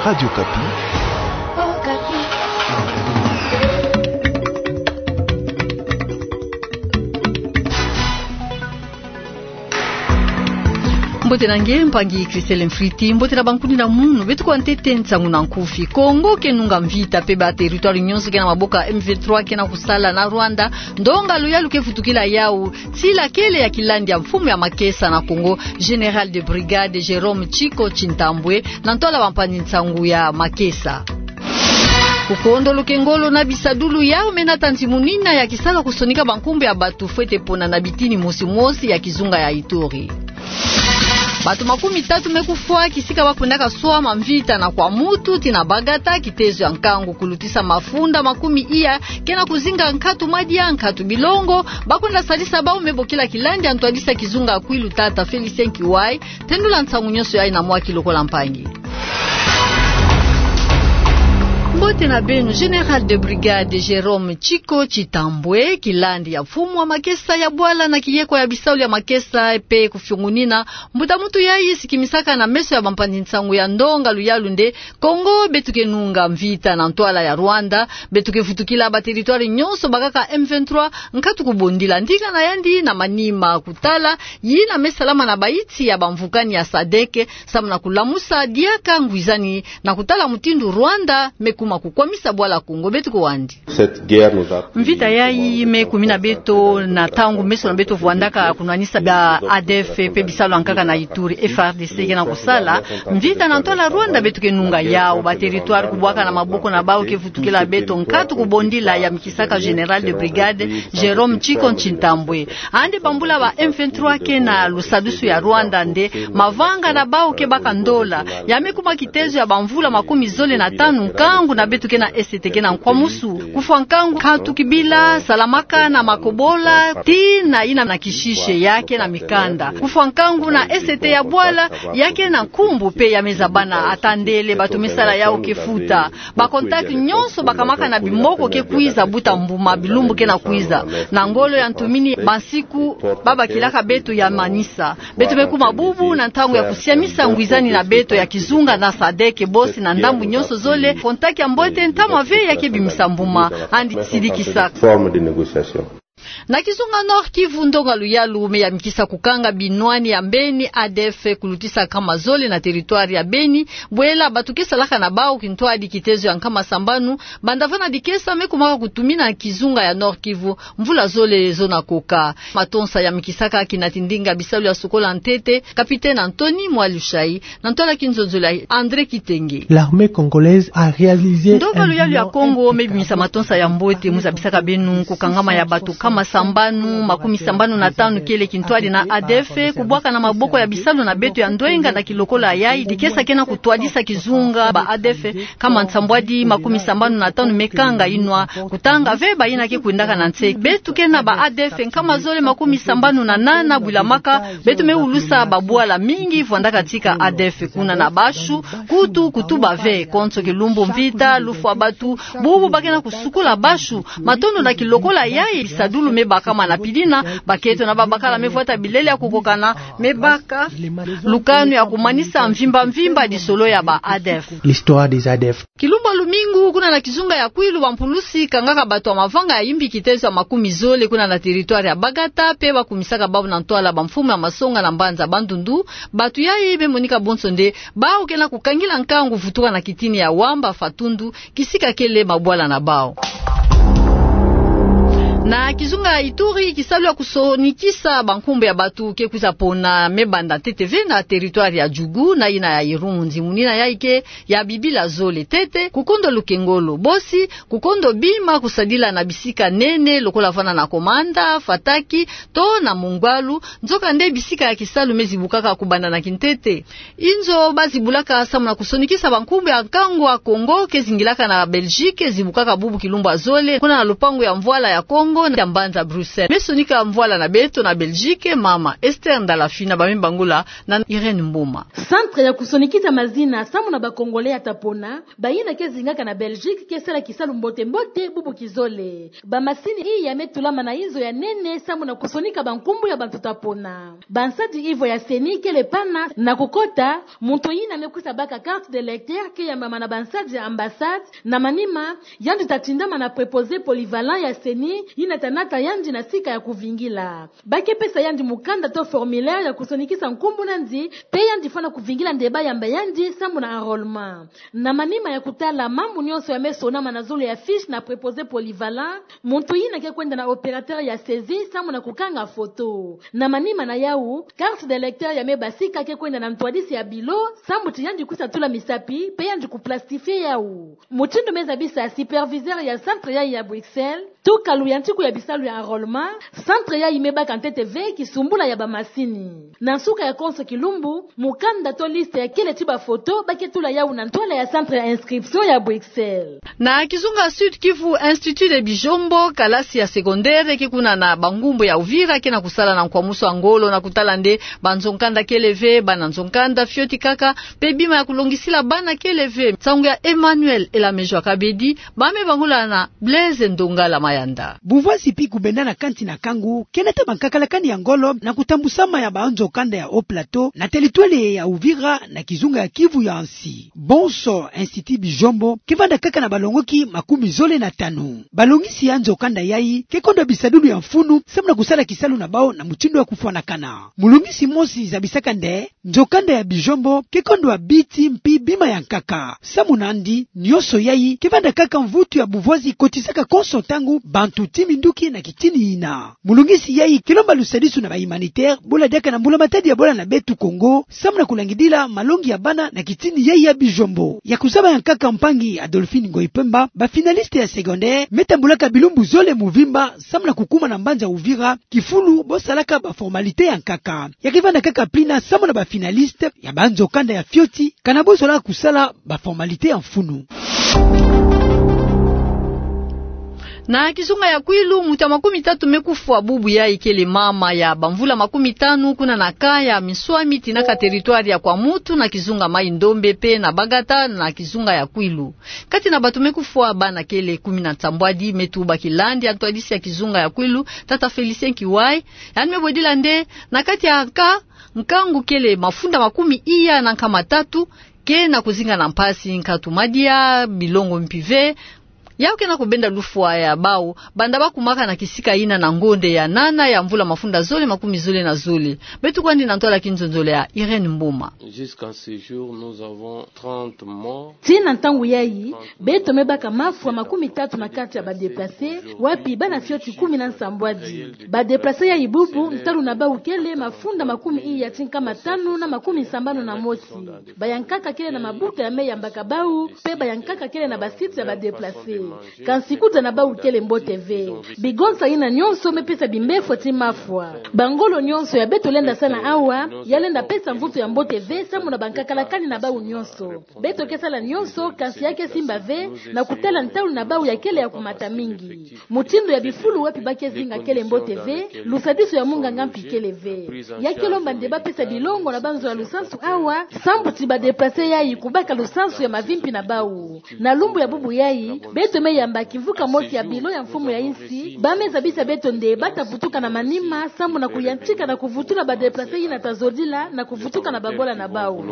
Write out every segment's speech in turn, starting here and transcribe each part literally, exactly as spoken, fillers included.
Radio Okapi. Mbote na nge, mpangi Christelle Mfriti, mbote na bankundi na munu. Beto kwa ntete nsangu na nkufi. Kongo ke nunga mvita, pe ba territoire nyonso ke na maboko ya M vingt-trois ke na kusala na Rwanda. Ndonga luyalu ke vutukila yawu, sila kele ya kilandi ya mfumu ya makesa na Kongo, Général de brigade Jérôme Tchicot Tchintambwe, na ntwala bampanzi nsangu ya makesa. Kukondo lukengolo na bisadulu yawu me nata nzimunina ya kisalu ya kusonika bankumbu ya bato fwete pona na bitini mosi mosi ya kizunga ya Ituri. Bato makumi tatu me kufwa kisika ba kwendaka swama mvita na Kwamouth ti na Bagata, kitezo ya nkangu kulutisa mafunda makumi iya ke na kuzinga nkatu madia, nkatu bilongo. Ba kwenda sadisa bawu me bokila kilandi ya ntwadisi ya kizunga ya Kwilu, tata Félicien Kiway. Tendula nsangu nyonso yayi na mwaki lokola mpangi. Mbote na beno. Général de brigade Jérôme Tchicot Tchintambwe, kilandi ya mfumu wa makesa ya bwala na kiyeko ya bisalu ya makesa pe kufiongunina, mbuta muntu yayi sikimisaka na meso ya bampanzi nsangu ya ndonga luyalu nde: Kongo, beto ke nunga mvita na ntwala ya Rwanda. Beto ke vutukila ba territoire nyonso bakaka M vingt-trois, nkatu kubondila. Ndinga na yandi na manima kutala yina me salama na bayinsi ya bamvukani ya sadek, samu na kulamusa diaka ngwizani na kutala mutindu Rwanda me kuma kukwamisa bwala Kongo. Beto kwandi. Mvita yayi me kumina beto na ntangu meso na beto vwandaka kunwanisa ba A D F pe bisalu ya nkaka na Ituri, F A R D C ke na kusala. Mvita na ntwala Rwanda beto ke nunga yawu. Ba territoire kubwaka na maboko na bawu ke vutukila beto, nkatu kubondila, yamikisaka général de brigade Jérôme Tchicot Tchintambwe. Andi bambula ba M vingt-trois ke na lusadusu ya Rwanda nde mavanga na bawu ke baka ndola. Ya me kuma kitezo ya bamvula makumi zole na tanu, nkangu na beto ke na Est ke na nkwamusu. Kufwa nkangu, nkatu kibila salamaka na makobola, tii na yina na kishishe ya ke na mikanda. Kufwa nkangu na Est ya bwala, ya ke na nkumbu pe ya me zabana, ata ndele bato me sala yawu ke futa. Ba contact nyonso bakamaka na bimoko ke kwiza buta mbuma bilumbu ke na kwiza. Na ngolo ya ntumini, bansiku ba bakilaka beto ya manisa. Beto me kuma bubu na ntangu ya kusiamisa ngwizani na beto ya kizunga na sadek, bosi na ndambu nyonso zole. Contact ya mbote, ntama ve ya ke bimisa mbuma, andi sidikisa. Na kizunga Nord-Kivu, ndonga luyalu me yamikisa kukanga binwani ya mbeni A D F kulutisa nkama zole na territoire ya Beni. Bwela bato ke salaka na bawu kintwadi kitezo ya nkama sambanu, banda vana dikesa, me kumaka kutumina kizunga ya Nord-Kivu mvula zole zo na koka. Matonsa yamikisaka kinati ndinga bisalu ya sukola ntete, capitaine Anthony Mwalushayi, na ntwala kinzonzolo ya André Kitenge. L'armée congolaise a réalisé. Ndonga luyalu ya Kongo me bimisa matonsa ya mbote. Mu zabisaka beno kukangama ya bato nkama sambanu makumi sambanu na tanu kele kintwadi na A D F, kubwaka na maboko ya bisalu na beto ya ndwenga na kilokola yayi dikesa ke na kutwadisa kizunga. Ba A D F nkama nsambwadi makumi sambanu na tanu me kanga inwa, kutanga ve bayina ke kwendaka na nse. Beto ke na ba A D F nkama zole makumi sambanu na nana, bwila maka beto me ulusa babwala mingi vwandaka tika A D F kuna na bashu, kutu kutuba ve. Konso kilumbu mvita, lufwa bato, bubu ba ke na kusukula bashu. Matondo na kilokola yayi, bisadulu me bakama na pidina, bakento na babakala me vwata bilele ya kukokana, me baka lukanu ya kumanisa mvimba mvimba disolo ya ba A D F. L'histoire des A D F. Kilumbu ya lumingu, kuna na kizunga ya Kwilu, bampulusi kangaka bato ya mavanga ya yimbi kitezo ya makumi zole kuna na territoire ya Bagata, pe bakumisaka bawu na ntwala bamfumu ya masonga na mbanza Bandundu. Bato yayi me monika bonso nde bawu ke na kukangila nkangu vutuka na kitini ya Wamba Fatundu, kisika kele mabwala na bawu. Na kizunga ya Ituri, kisalu ya kusonikisa bankumbu ya bato ke kwiza pona me banda ntete ve na territoire ya Djugu na yina ya Irumu. Nzimunina yayi ke ya bibila zole ntete. Kukondo lukengolo, bosi kukondo bima kusadila na bisika nene lokola vana na Komanda, Fataki, to na Mongwalu. Nzoka nde bisika ya kisalu me zibukaka kubanda na kintete. Inzo ba zibulaka samu na kusonikisa bankumbu ya nkangu ya Kongo ke zingilaka na Belgique, zibukaka bubu kilumbu ya zole kuna na lupangu ya mvwala ya Kongo. Ngo na mbanza Bruxelles. Me sonika mvwala na beto na Belgique, mama Esther Ndalafina, ba me bangula na Irène Mboma. Centre ya kusonikisa mazina samu na ba Congolais ya tapona, bayina ke zingaka na Belgique ke sala kisalu mbote-mbote bubu kizole. Ba masini iya me tulama na inzo ya nene samu na kusonika ba nkumbu ya bantu tapona. Ba nsadi ivo ya CENI kele pana na kukota, muntu yina me kwisa baka carte d'électeur ke yambama na ba nsadi ya ambassade, na manima, yandi ta tindama na préposé polyvalent ya CENI, yina ta nata yandi na sika ya kuvingila. Ba ke pesa yandi mukanda to formulaire ya kusonikisa nkumbu na yandi, pe yandi fwana kuvingila nde ba yamba yandi samu na enrôlement. Na manima ya kutala mambu nyonso ya me sonama na zulu ya fiche na préposé polyvalent, muntu yina ke kwenda na opérateur ya saisie samu na kukanga photo. Na manima na yawu, carte d'électeur ya me basika ke kwenda na ntwadisi ya bilo, samu ti yandi kwisa tula misapi, pe yandi kuplastifier yawu. Mutindu me zabisa superviseur ya centre yayi ya Bruxelles, tukalu ya ntiku ya bisalu ya enrôlement, centre yayi me baka ntete ve kisumbula ya ba masini. Na nsuka ya konso kilumbu, mukanda to liste ya kele ti ba photo ba ke tula yawu na ntwala ya centre ya inscription ya Bruxelles. Na kizunga Sud-Kivu, Institut de Bijombo, kalasi ya secondaire ke kuna na bangumbu ya Uvira ke na kusala na nkwamusu ya ngolo na kutala nde ba nzo-nkanda kele ve, bana nzo-nkanda fioti kaka, pe bima ya kulongisila bana kele ve. Nsangu ya Emmanuel Elamejwa Kabedi, ba me bangula na Blaise Ndongala Mayanda. Buvwazi pi kubenda na kansi na kangu ke nata ba nkakalakani ya ngolo na kutambusama ya ba nzo-nkanda ya Haut-Plateau na territoire ya Uvira na kizunga ya Kivu ya nsi. Bonso Institut Bijombo ke vanda kaka na balongoki makumi zole na tanu. Balongisi ya nzo-nkanda yayi ke kondwa bisadulu ya mfunu samu na kusala kisalu na bawu na mutindu ya kufwanakana. Mulongisi mosi zabisaka nde nzo-nkanda ya Bijombo ke kondwa biti mpi bima ya nkaka. Samu na yandi, nyonso yayi ke vanda kaka mvutu ya buvwazi kotisaka konso ntangu bantu ti minduki na kitini yina. Mulongisi yayi ke lomba lusadisu na ba humanitaire, bola diaka na mbula-matadi ya bola na beto Kongo, samu na kulangidila malongi ya bana na kitini yayi ya Bijombo. Ya kuzaba ya nkaka mpangi Adolphine Ngoyi Pemba, ba finaliste ya secondaire me tambulaka bilumbu zole muvimba samu na kukuma na mbanza Uvira, kifulu bo salaka ba formalité ya nkaka. Ya ke vanda kaka pli na samu na ba finaliste ya ba nzo-nkanda ya fioti, kana bo zola kusala ba formalité ya mfunu. Na kizunga ya Kwilu, muntu ya makumi tatu me kufwa bubu yayi kele mama ya bamvula makumi tanu kuna na camp ya Miswami tina ka territoire ya Kwamutu na kizunga Maï-Ndombe pe na Bagata na kizunga ya Kwilu. Kati na bantu me kufwa, bana kele kumi na nsambwadi, me tuba kilandi ya ntwadisi ya kizunga ya Kwilu, tata Félicien Kiwai, yandi me bwedila nde na kati ya nka, nkangu kele mafunda makumi iya na nkama tatu ke na kuzinga na mpasi, nkatu madia, bilongo mpi ve. Yawu ke na kubenda lufwa ya bawu, banda ba kumaka na kisika yina na ngonde ya nana ya mvula mafunda zole makumi zole na zole. Beto kwandi na ntwala kinzonzolo ya Irène Mboma. Jusqu'à ce jour, nous avons trente morts. Tina ntangu yayi, beto me baka mafwa makumi tatu na kati ya ba déplacés, wapi bana fioti kumi na nsambwadi. Ba déplacés yayi bubu, ntalu na bawu kele mafunda makumi iya ti nkama tanu na makumi sambanu na mosi. Bayankaka kele na mabuta ya me yambaka bawu, pe bayankaka kele na ba sites ya ba déplacés. Kansi kuta na bawu kele mbote ve. Bigonsa yina nyonso me pesa bimbefo ti mafwa. Bangolo nyonso ya beto lenda sala awa, ya lenda pesa mvutu ya mbote ve samu na ba nkakalakani na bawu nyonso. Beto ke sala nyonso, kansi ya ke simba ve, na kutala ntalu na bawu ya kele ya kumata mingi. Mutindu ya bifulu wapi ba ke zinga kele mbote ve, lusadisu ya munganga mpi kele ve. Ya ke lomba nde ba pesa bilongo na banzo ya lusansu awa, sambu ti ba déplacés yayi kubaka lusansu ya mavimpi na bawu. Na lumbu ya bubu yayi, beto me yamba kimvuka mosi ya bilo ya mfumu ya insi, ba me zabisa beto nde ba ta vutuka na manima, samu na kuyantika na kuvutula ba déplacés yina ta zodila, na kuvutuka na babola na bawu.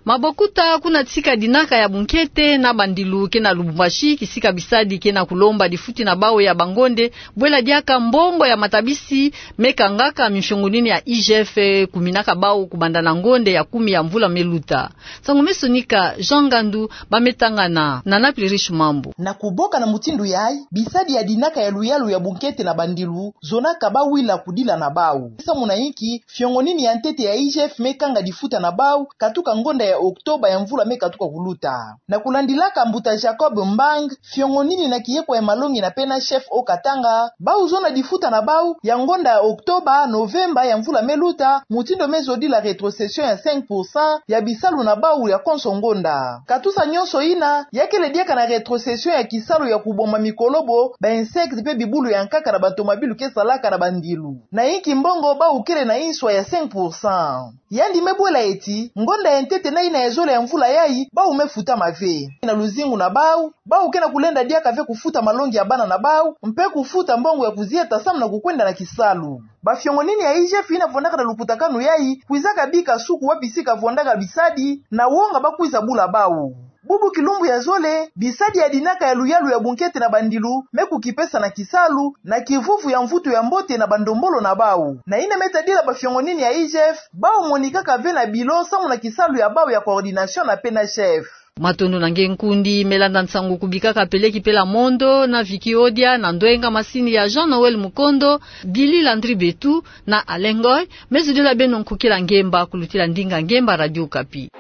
Mabokuta kuna sika dinaka ya bunkete na bandilu ke na Lubumbashi, kisika bisadi ke na kulomba difuti na bawu ya bangonde, bwela diaka mbongo ya matabisi me kangaka mifiongo nini ya I G F kuminaka bawu kubanda na ngonde ya kumi ya mvula me luta. Nsangu me sonika Jean Ngandu, ba me tanga na Nana Plirish Mambu. Na kuboka na mutindu yayi, bisadi ya dinaka ya luyalu ya bunkete na bandilu zonaka bawila kudila na bawu. Samu na inki, fiongo nini ya ntete ya I G F me kanga difuta na bawu, katuka ngonda ya Octobre ya mvula me katuka kuluta. Na kulandilaka mbuta Jacob Mbang, fiongo nini na kiyeko ya malongi na pena chef Haut-Katanga, bawu zona difuta na bawu ya ngonda ya Octobre, Novembre ya mvula me luta, mutindu me zodila rétrocession ya cinq pour cent ya bisalu na bawu ya konso ngonda. Katusa nyonso yina, Ya kele diaka na rétrocession ya kisalu ya kuboma mikolobo, ba insectes pe bibulu ya nkaka na bantomabilu ke salaka na bandilu. Na inki mbongo bawu kele na inswa ya cinq pour cent? Yandi me bwela eti, ngonda ya ntete na ina ya zole ya mvula yayi, bawu me futama ve. Na luzingu na bawu, bawu ke na kulenda diaka ve kufuta malongi ya bana na bawu, mpe kufuta mbongo ya kuzieta samu na kukwenda na kisalu. Ba fiongonini ya I G F ina vwandaka na lukutakanu yayi, kwizaka bika suku wapi si kavwandaka bisadi, na wonga bakwiza bula bawu. Bubu kilumbu ya zole, bisadi ya dinaka ya luyalu ya bunkete na bandilu, me kukipesa na kisalu, na kivuvu ya mvutu ya mbote na bandombolo na bawu. Na ina me tadila ba fiongonini ya I G F, bawu monikaka ve na bilo, samu na kisalu ya bawu ya coordination na P N H F. Matondo na nge nkundi, me landa nsangu kubikaka peleki pela mondo, na Vicky Odia, na ndwenga masini ya Jean Noël Mukondo, Billy Landry Betu, na Alain Ngoy, me zodila beno nkokila ngemba, kulutila ndinga ngemba Radio Okapi.